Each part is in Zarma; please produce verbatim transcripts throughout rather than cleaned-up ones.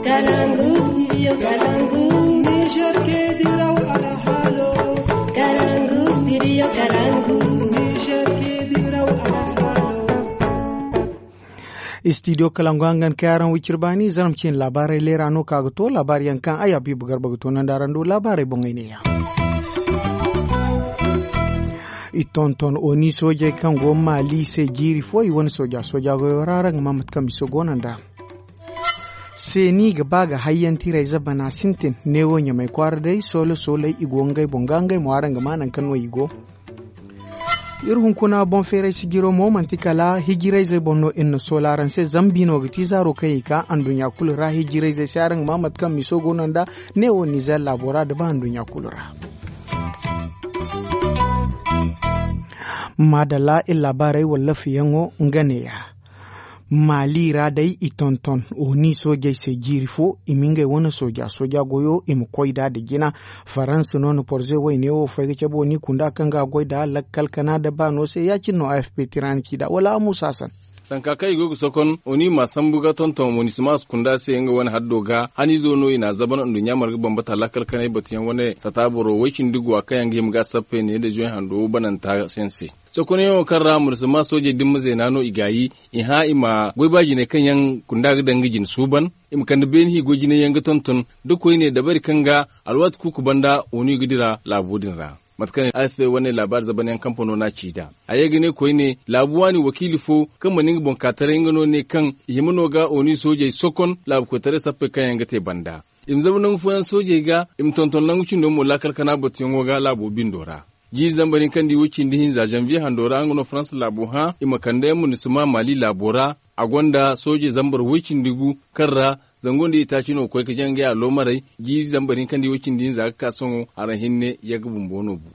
Kalangu, studio Kalangu. Niger ke diraw alhalo. Kalangu, studio Kalangu. Niger ke diraw alhalo. Studio Kalangu hangan kay araŋ wicir baani zarma cine laabaarey leera no ka ga to laabaari yaŋ kaŋ ay Habiibu Garba ga toonandi araŋ do laabaarey boŋey neeya. I tonton oni soojey kaŋ go maali se jiiri fo i wane sooja sooja goyo ra araŋ ga ma mate kaŋ miso goono nd'a. Seeni ga ba ga hayyantirey zabana sintin neewo ɲamay kwaara day soolo sooley i go ngey boŋ ga ngey mo araŋ ga ma naŋ kaŋ no i go. Iri hunkuna boŋ feeray sijiro mo manti kala hijirayzey boŋ no iri na soola araŋ se zambi no ga ti zaaro kaŋ i ka anduɲɲa kulu ra hijirayzey se araŋ ga ma mate kaŋ miso goono nda neewo nizer laabo ra da ba anduɲɲa kulu ra. Maadalla iri laabaarey wallafiyaŋo nga neeya. Maali ra day i tonton oni soojey se jiiri fo i ma ngey wane sooja sooja goyo i ma koy nd'a da jina. Faransa no na porze wayne wo fay ga cabe oni kunda kaŋ ga a goy nd'a lakkal kana da baano se ya- cine no afp tira na ci nd'a wala a muusa san. Sanka kaŋ i go ga sokon oni ma sambu ga tonton monisima kunda se nga wane haddo ga hanizo no i n'a zaban nduɲɲa marga bambata lakkal kanay batuyaŋ wane sata boro way cindi guwa kaŋ yaŋ ga hima ga sappe ne da zoy hando bananta yaŋ se. Sokonyaŋo kaŋ ra monisima soojey dimma zeena no i gaayi i hã i ma goy ba jinay kaŋ yaŋ kunda ga daŋ ga jine suuban i ma kande beeni hiigo jinay yaŋ ga tonton da koyne dabari kaŋ ga alwaati kuuku banda onu i ga dira laabo din ra. Mate kaŋ afp wane laabaari zaban yaŋ kampano n'a ci nd'a a ye ga ne koyne laabu waani wakiili fo kaŋ mana nga boŋ ka taray nga no ne kaŋ i hima no ga onu soojey sokon laabu koytaray sappey kaŋ yaŋ ga te banda i ma zama nangu fooyaŋ soojey ga i ma tonton nangu cindo mo laakal kana batuyaŋo ga laabo bindo ra. Jiiri zambar hinka nda i way cindi hinza zanviye hando ra nga no faransa laabo hã i ma kande yaŋ ma ni si ma maali laabo ra. A gonda sooje zambar way cindi gu kaŋ ra zango nda i taaci no ga koy ga jangay a loomaray. Jiiri zambar hinka nda i way cindi hinza ga ka sohõ araŋ hinne yagga bumbo no bu.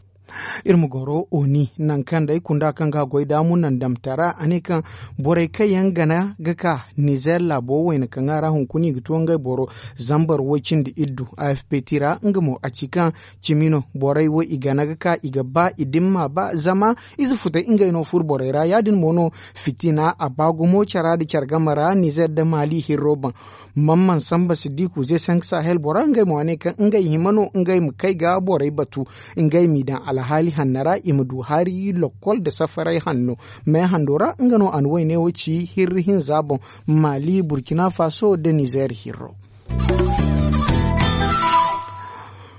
Iri ma goro oni nangu kaŋ day kunda kaŋ ga a goy daamu nandamtara a ne kaŋ borey kaŋ yaŋ gana ga ka nizer laabo wayna kaŋ a ra hunkuna i ga to ngey boro zambar way cindi iddu afp tira nga mo a ci kaŋ cimi no borey wo i gana ga ka i ga ba i dimma ba zama ize futay ngey no furo borey ra ya- din mo no fitina a ba gumo cara nda care game ra nizer nda maali hirro boŋ. Mamman samba siddiku ze sank sahel bora ngey mo a ne kaŋ ngey hima no ngey ma kay ga borey batu ngey m'i daŋ alhaali hanno ra i ma du hari lokkol nda safaray hanno. Meehando ra nga no a na wayne wo ci hirri hinza boŋ maali burkina faso nda nizer hirro.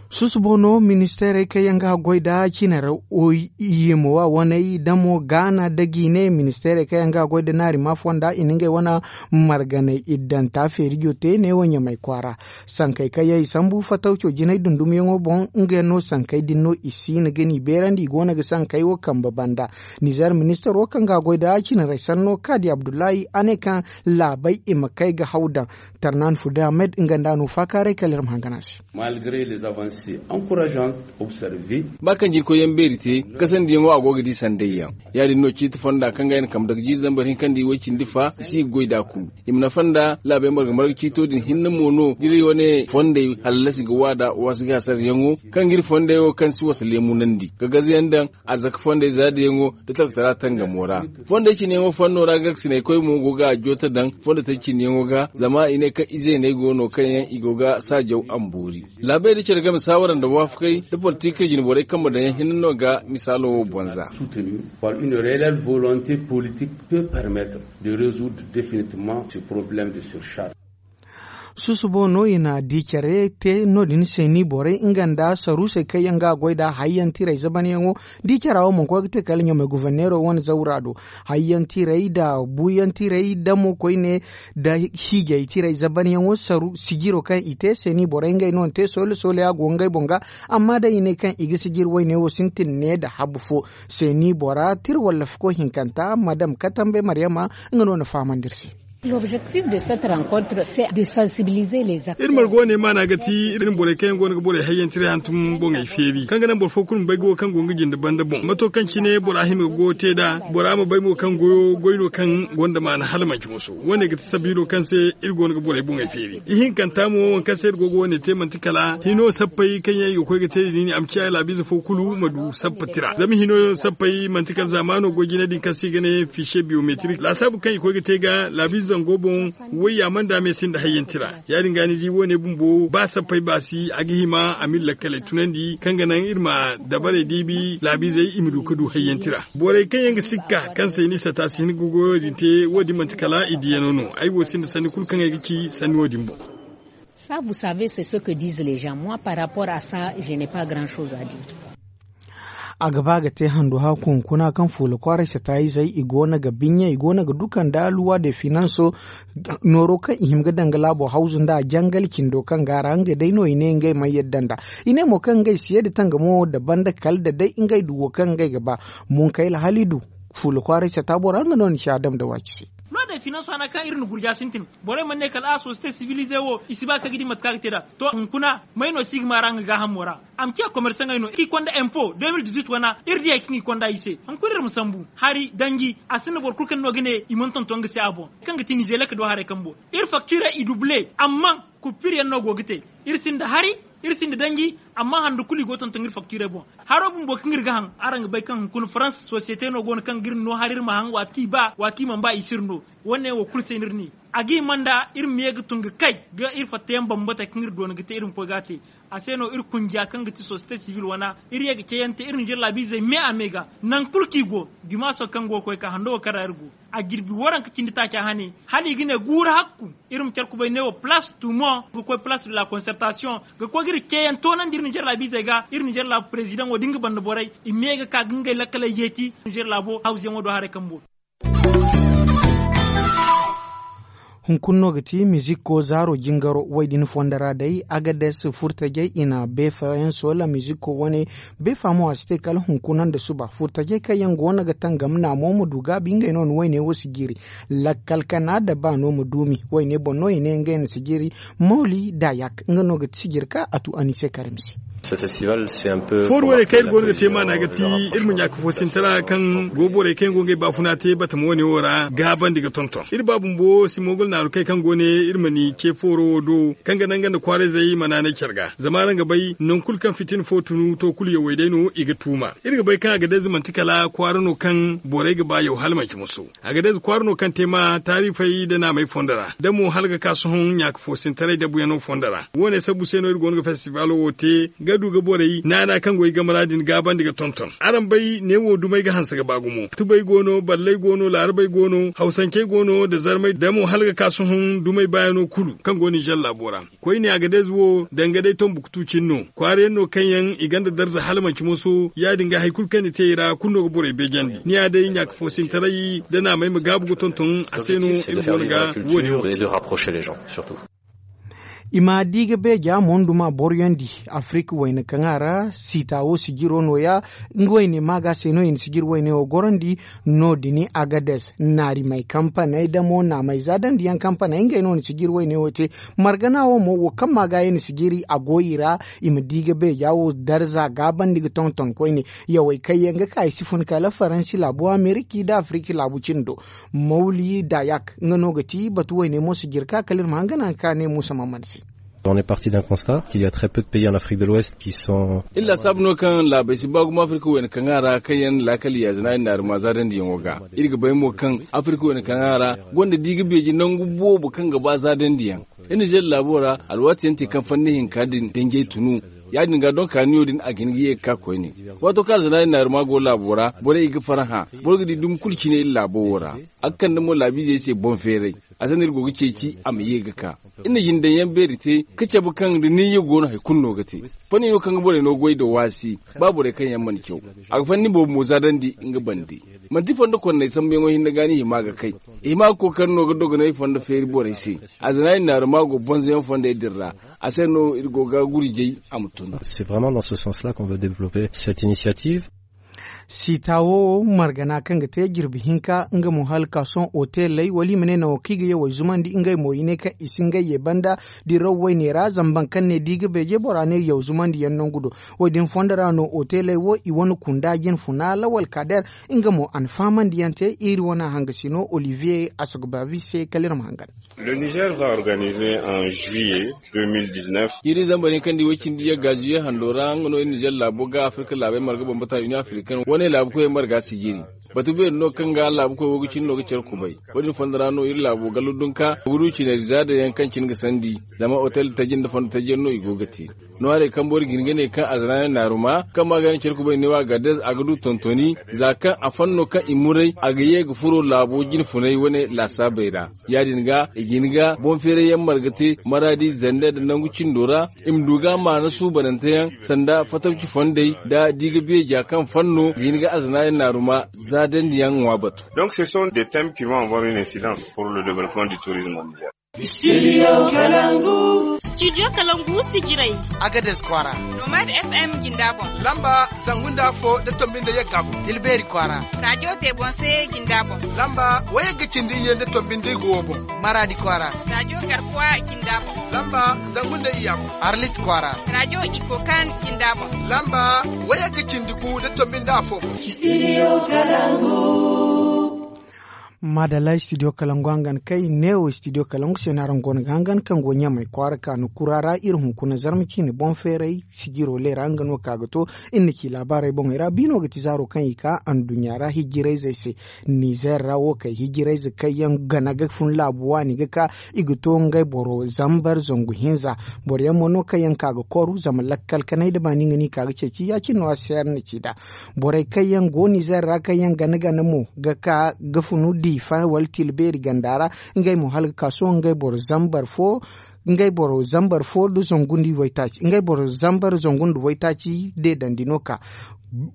Susubo no ministeerey kaŋ yaŋ ga a goy nda cinarey oy yemowa waney damo gaana nda jiine ministeerey kaŋ yaŋ ga a goy nda naarima fonda i na ngey wane marganey iddanta feerijo te neewo ɲamay kwaara. Sankey kaŋ yaŋ i sambu fatawco jinay dundumyaŋo boŋ nga yaŋ no sankey din no i siina ga n'i beerandi i go no ga sankey wo kambe banda. Nizer ministaro kaŋ ga a goy nda cinarey sanno kaadi abdullahi a ne kaŋ laabey i ma kay ga haw daŋ. Tarnan fude ahmed nga nda a no faakaaray kala iri ma hangan a se. Ba kaŋ jirkoyyaŋ beeri te kasandiyaŋo a go ga di sandayyaŋ. Ya- din no ciiti fonda kaŋ ga ay na kambe daga jiiri zambar hinka nda i way cindi fa i si ga goy nd'a kulu. I ma nafa nda laabey marga marga ciito din hinne mo no ga iri wane fondey hallasi ga waada waasi ga hasarayaŋo kaŋ ga iri fondey wo kaŋ si wasa leemunandi ga gazayaŋ daŋ arzaka fondey zaadiyaŋo nda talkatara tangamo ra. Fondey cineyaŋo fanno ra gaksinaykoy mo go ga a joota daŋ fondey taji cineyaŋo ga zama i ne kaŋ izeeney go no kaŋ yaŋ i go ga saajaw amboori. Laabey nda care game saawara nda waafakey nda politik jine borey kambe daŋyaŋ hinne no ga misaalo wo bonza. Par une reelle volonte politique peut permettre de résoudre définitivement ce problème de surcharge. Susubo no i na di care te no- din se ni borey nga nda saruusey kaŋ yaŋ ga a goy nda hayyantirey zabanyaŋo. Di cara wo mana koy ga te kala ɲamay guverneero wane zawra do. Hayyantirey nda buuyantirey damo koyne nda hiijay tirey zabanyaŋo saru sijiro kaŋ i te se ni borey ngey no na te soole soole a go ngey boŋ ga. Amma day i ne kaŋ i ga sijir wayne wo sintin ne nda habu fo. Se ni bora tir wallafako hinkanta madam katambe maryama nga no na fahamandi iri se. Iri margo wane maana ga ti iri na borey kaŋ yaŋ go no ga borey hayyantiray hantum boŋey feeri kaŋ ga naŋ boro fo kulu ma bay ga wo kaŋ go nga jinde banda boŋ mato kaŋ cine bora hima ga goyo te nd'a. Bora ma bay mo kaŋ goyo goy no kaŋ gonda maana hala manci moso wo- ne ga ti sabiilo kaŋ se iri go no ga borey boŋey feeri. Ihinkanta mo waŋ kaŋ se iri go ga wo- ne te manti kala hino sappey kaŋ yaŋ i ga koy ga te din a ma ciya laabiize fo kulu ma du sappa tira zama hino sappey manti kala zaamaano goy jine din kaŋ se i ga ne fiise biyometrik laasaabu kaŋ i koy ga te ga laabiize. Zango boŋ, wayya mana da me sinda hayyanti ra. Ya- din ga ni di wo- ne bumbo ba sappey ba si a ga hima a ma iri lakkaley tunandi kaŋ ga naŋ iri ma dabarey diibi laabiizey i ma du ga du hayyanti ra. Borey kaŋ yaŋ ga sikka kaŋ se ni sata si hin ga goyo din te, wo- din manti kala i diyano no. Ay wo sinda sanni kulu kaŋ ay ga ci sanni wo- din boŋ. Ça vous savez c'est ce que disent les gens, moi par rapport à ça je n'ai pas grand chose à dire. A ga ba ga te handu haku hunkuna kaŋ fuula kwaaray sata izey i go no ga binya i go no ga duka nda luwa de finanso. Nooro kaŋ i hima ga daŋ ga laabo hawzu nda jangal cindo kaŋ ga a ra ngey day no i ne ngey mana yadda nda. I ne mo kaŋ ngey si ye da tangamo da banda kala da day ngey du wo kaŋ ngey ga ba. Munkayla halidu, fuula kwaaray sata bora nga no ni ci adam da waaci se. Luwa de finanso hana kaŋ iri na gurja sintin. Borey mana ne kala a société civilisé wo i si ba kaŋ ga di mate kaŋ a ga te nd'a. To hunkuna may no si ga maara nga gaahamo ra? A ma ciya komersaŋey no kaŋ i konda empo deux mille dix-huit wana iri di hari kaŋ i konda i se. Hunkuna iri ma sambu hari danji a sinda boro kulu kaŋ no ga ne i mana tonton nga se a boŋ. Kaŋ ga ti nizeelek do haray kambo iri faktiirey i dubule amma kuppiir yaŋ no go ga te. Iri sinda hari, iri sinda danji. Amma handu kulu i go ga tonton iri faktiirey boŋ. Haro bumbo kaŋ iri ga haŋ araŋ ga bay kaŋ hunkuna farans sosiyete no go no kaŋ ga iri no hari iri ma haŋ waati kaŋ i ba waati kaŋ i mana ba i si iri no. Wo- ne wo kulu se no iri ne a ga hima nda iri ma ye ga tun ga kay ga iri fatta yaŋ bambata kaŋ iri doona ga te iri ma koy ga a te. A se no iri kunja kaŋ ga ti sosiyete sibil wana iri ye ga cayante iri ninzeer laabiizey me a me ga. Nangu kulu kaŋ i go dimaaso kaŋ go ga koy ka hando wo kaŋ ra iri go a jirbi waranka cindi taaca hane hala i ga ne guuru hakku. Iri ma care kubay ne wo palaas tumo ga koy palaas de la konsertasiyoŋ ga koy ga iri ceeyaŋ toonandi iri ninzeer laabiizey ga iri ninzeer laabu parezidaŋo da nga banda borey i ma ye ga ka ga ngey lakkaley yeeti ninzeer laabo hawzuyaŋo do haray kambo. Hunkuna no ga ti mizikko zaaro jingaro wo- din fondo ra day agades furtajey i na beefa yaŋ soola mizikko wane. Beefa mo a si te kala hunkuna nda suba furtajey kaŋ yaŋ go no ga tangam naamo ma du gaabi ngey no ni wayne wo si jiiri. Lakkal kana da baano ma duumi wayne boŋ no i ne ngey na si jiiri. Mawli dayak nga no ga ti sijir ka a tu anise karim se. Fooru wane kaŋ iri go no ga te maana ga ti iri ma ɲaaka foosintara kaŋ go borey kaŋ yaŋ go ngey baafuna te batama wane wo ra gaabandi ga tonton iri ba bumbo si moogol naaru kay kaŋ go ne iri ma ni ce fooro wo do kaŋ ga naŋ nga nda kwaarayzey ma naanay care ga zama araŋ ga bay nangu kulu kaŋ fitina fo tunu to kulu yawey day no i ga tuuma. Iri ga bay kaŋ a ga day za manti kala kwaara no kaŋ borey ga ba yaw hala manci musu. A ga day za kwaara no kaŋ te ma taarifey nda naamey fondo ra da mo hala ga ka sohõ ɲaaka foosintaray dabuyaŋo fondo ra. Wo- ne sabbu se no iri go no ga festivaalo wo te ga du ga borey naana kaŋ go i game ra din gaabandi ga tonton araŋ bay ne wo dumey ga hanse ga ba gumo tubey go no balley go no laarabey go no hawsancey go no nda zarmey da mo hala ga ka sohõ dumey baayano kulu kaŋ go ninzeer laabo ra. Koyne a ga day za wo danga day tombuktu cine no kwaara yaŋ no kaŋ yaŋ i gonda darza hala manci moso ya- din ga hari kulu kaŋ ni te i ra kulu no ga borey beejandi ni ya day ɲaaka foosintaray da naamey ma gaabu ga tonton a se no iri go no ga wo- din wo te. I ma di ga beeja monduma boroyandi afirika wayna kaŋ a ra siita wo sijiro nooya. Nga wayne maaga se no i na sijiri wayne wo gorandi. No- din agades naarimey kampaney damo naamey za dandiyaŋ kampaney ngey no na sijiri wayne wo te. Margana wo mo wo kaŋ maaga i na sijiri a go i ra. I ma di ga beeja wo darza gaabandi ga tonton koyne. Yawey kaŋ yaŋ ga ka i si fun kala faransi laabu ameriki nda afiriki laabu cindo. Mawli dayak nga no ga ti batu wayne mo si jirka kala iri ma hangan haŋ ka ne musa mamman se. On est parti d'un constat qu'il y a très peu de pays en Afrique de l'Ouest qui sont. Iri lasaabu no kaŋ laabey si ba gumo afirika wayna kaŋ a ra kaŋ yaŋ laakal yaazina i naari ma zaadandiyaŋo ga. Iri ga bay mo kaŋ afirika wayna kaŋ a ra gonda di ga beeji nangu boobo kaŋ ga ba zaadandiyaŋ. Iri nizeer laabo ra alwaati yaŋ te kaŋ fanni hinka din danjey tunu. Ya- din ga donka niyo din a ga hin ga ye ga ka koyne. Waato kaŋ alzanaari naari ma go laabo ra borey i ga farhã. Boro ga di dumi kulu cine iri laabo wo ra. A ga kande mo laabiizey se boŋ feeray. A se no iri go ga ceeci a ma ye ga ka. Iri na jindaŋ yaŋ beeri te ka cabe kaŋ da niyya go no hari kulu no ga te. Fanni no kaŋ ga borey no goy nda waasi ba borey kaŋ yaŋ mana caw. A ga fanni boobo mo zaadandi nga bande. Manti fondo konney sambuyaŋo hinne ga ni hima ga kay. I hima ga kookari no ga dogonay fondo feeri borey se. Alzanaari naari ma go bonzoyaŋ fondey din ra. A se no iri go ga gurjay a ma tun. C'est vraiment dans ce sens là qu'on veut développer cette initiative. Siita wo margana kaŋ ga te jirbi hinka nga mo hala ka sohõ oteley wala i ma ne nango kaŋ i ga yawey zumandi ngey mo i ne kaŋ i si ngey ye banda. Diraw wayne ra zama baŋ kaŋ ne di ga beeje bora ne yaw zumandi yaŋ nangu do. Wo- din fondo ra no oteley wo i wane kunda jinfuna lawal kaader. Nga mo a na fahamandi yaŋ te iri wane hangasi no olivier asogbavi se kala iri ma hangan. Le niger va organiser en juillet deux mille dix-neuf. Iri zambar yaŋ kaŋ di way cindi yagga juillet hando ra nga no iri niger laabo ga afirka laabey marga bambata union africaine wane laabu koyey marga sijiri. Batu beeri no kaŋ ga laabu koy wo ga cine no ga care kubay. Wo- din fondo ra no iri laabo gallo dunka ga du cinari zaada yaŋ kaŋ cine ga sandi. Zama otel taji nda fondo taji yaŋ no i go ga te. No haray kaŋ boro ga hin ga ne kaŋ a zana yaŋ naaruma kaŋ ma ga yaŋ care kubay ne wo a ga dez a ga du tontoni. Za kaŋ a fanno kaŋ i muray a ga ye ga furo laabo jine funay wane laasaabey ra. Ya- din ga i ga hin ga boŋ feeray yaŋ marga te maraadi zande nda nangu cindo ra. I ma du ga maana suubanante yaŋ sanda fatabci fondey nda di ga beeja kaŋ fanno ga hin ga a zana yaŋ naaruma zaadandi yaŋ ŋwa batu. Donc ce sont des thèmes qui vont avoir une incidence pour le développement du tourisme mondial. Studio kalangu. Studio kalangu sijirey. Agades kwaara. Nomad FM jinda boŋ. Lamba zangu nda afo da tombi nda yagga boŋ. Tilbeeri kwaara. Radio tebonse jinda boŋ. Lamba wayagga cindi iyye nda tombi nda igo boŋ. Maraadi kwaara. Radio garkuwa jinda boŋ. Lamba zangu nda iyya boŋ. Arlit kwaara. Radio ikokan jinda boŋ. Lamba wayagga cindi gu da tombi nda afo boŋ. Studio kalangu. Madalla studio kalangu hangan kay neewo studio kalangu se no araŋ go no ga hangan kaŋ go ɲamay kwaara ka no kura ra iri hunkuna zarma ciine boŋ feeray sijiro leera nga no ka ga to. Iri na ci laabaarey boŋey ra biino ga ti zaaro kaŋ i ka anduɲɲa ra hijirayzey se. Nizer ra wo kay hijirayze kaŋ yaŋ gana ga fun laabu waani ga ka i ga to ngey boro zambar zangu hinza. Boro yaŋ mo no kaŋ yaŋ ka ga koru zama lakkal kanay da baani nga no i ka ga ceeci ya- cine no a se araŋ na ci nd'a. Borey kaŋ yaŋ go nizer ra kaŋ yaŋ gana gana mo ga ka ga funu diifa wala tilbeeri ganda ra. Ngey mo hala ga ka sohõ ngey boro zambar fo ngey boro zambar fo nda zangu nda waytaaci ngey boro zambar zangu nda waytaaci deedandi no ka.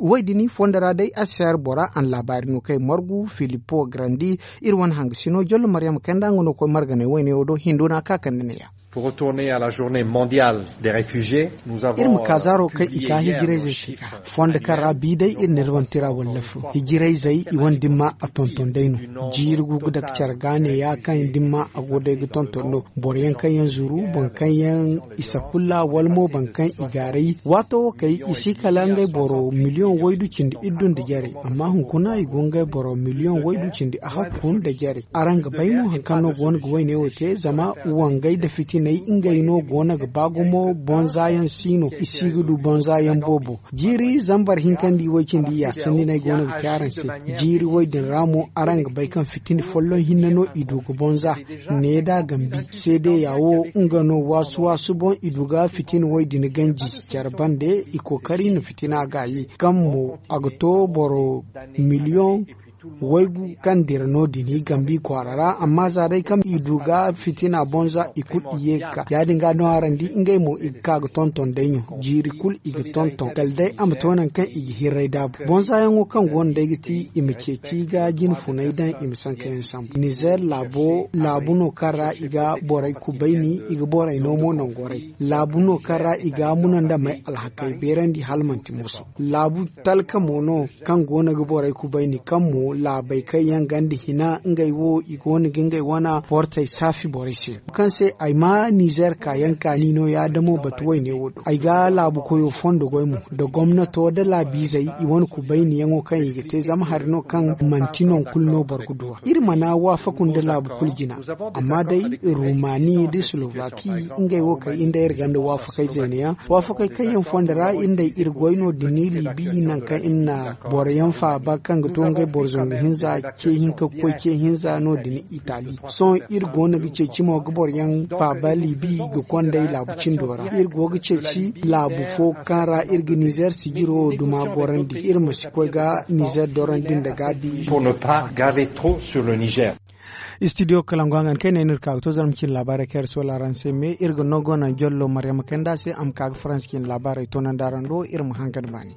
Wo- din fondo ra day a si se hari bora a na laabaari no kaŋ ay margu filipo garandi. Iri wane hangasino jollo maryama kanda nga no koy marganay wayne wo do hindo no a ka kande neeya. Pour retourner à la journée mondiale des réfugiés, nous avons iri ma ka zaaro kaŋ i ka hijirayzey se ka fondo kaŋ ra bi day iri na iri wane tira wallafu hijirayzey i wane dimma a tonton day no. Jiiri gu ga dake care ga neeya kaŋ dimma a go day ga tonton no. Boro yaŋ kaŋ yaŋ zuru boro kaŋ yaŋ isa kulla wala mo boro kaŋ i gaaray waato wo kay i si kala ngey boro miliyoŋ waydu cindi iddu nda jarey amma hunkuna i go ngey boro miliyoŋ waydu cindi ahakku nda jarey. Araŋ ga bay mo hari kaŋ no go no ga wayne wo te zama wangey nda fitiney ngey no go no ga ba gumo bonza yaŋ si no i si ga du bonza yaŋ boobo. Jiiri zambar hinka nda i way cindi ya sanni no ay go no ga ci araŋ se. Jiiri way din ra mo araŋ ga bay kaŋ fitina folloŋ hinne no i du ga bonza. Ne da gambi seedeya wo nga no waasu waasu boŋ i du ga fitina way din ganji care bande i kookari na fitina gaayi kaŋ mo a ga to boro miliyoŋ waygu kaŋ dira no- din i gambi kwaara ra amma za day kaŋ i du ga fitina bonza i kulu i ye ga ka ya- din ga no araŋ di ngey mo i ga ka ga tonton day ɲo jiiri kulu i ga tonton kala day a ma to nangu kaŋ i ga hirray daabu bonza yaŋo kaŋ go no day ga ti i ma ceeci ga jine funay daŋ i ma sanka yaŋ sambu nizer laabo laabu no kaŋ ra i ga borey kubayni i ga borey no mo nangorey laabu no kaŋ ra i ga muna nda may alhakey beerandi hala manti moso laabu talka mo no kaŋ go no ga borey kubayni kaŋ mo laabey kaŋ yaŋ ganda hina ngey wo i go no ga ngey wana portey saafi borey se kaŋ se ay ma nizer kaayaŋ kaani no yaadamo batu wayne wo do ay ga laabu koyo fondo goy mo nda gomnato nda laabiizey i wane kubayniyaŋo kaŋ i ga te zama hari no kaŋ manti non kulu no boro ga duw'a iri mana waafaku nda laabu kulu jina amma day rumani nda slovaki ngey wo kay iri nda iri gonda waafakey zeeneyaŋ waafakey kaŋ yaŋ fondo ra iri nda iri goy no- din libi nangu kaŋ iri na boro yaŋ faaba kaŋ ga to ngey boro zangu hinza ce hinka ga koy ce hinza no- din itali sohõ iri go no ga ceeci mo ga boro yaŋ faaba libi ga konday laabu cindo ra iri go ga ceeci laabu fo kaŋ ra iri ga nizer sijiro duma gorandi iri ma si koy ga nizer dorandi nda gaabi. Pour ne pas graver trop sur le niger. Studio kalangu hangan kay ne no iri ka ga to zarma cine laabaarey kaŋ iri soola araŋ se me iri ga no go naŋ jollo maryama kanda se a ma ka ga faransi cine laabaarey toonandi araŋ do iri ma hangan baani.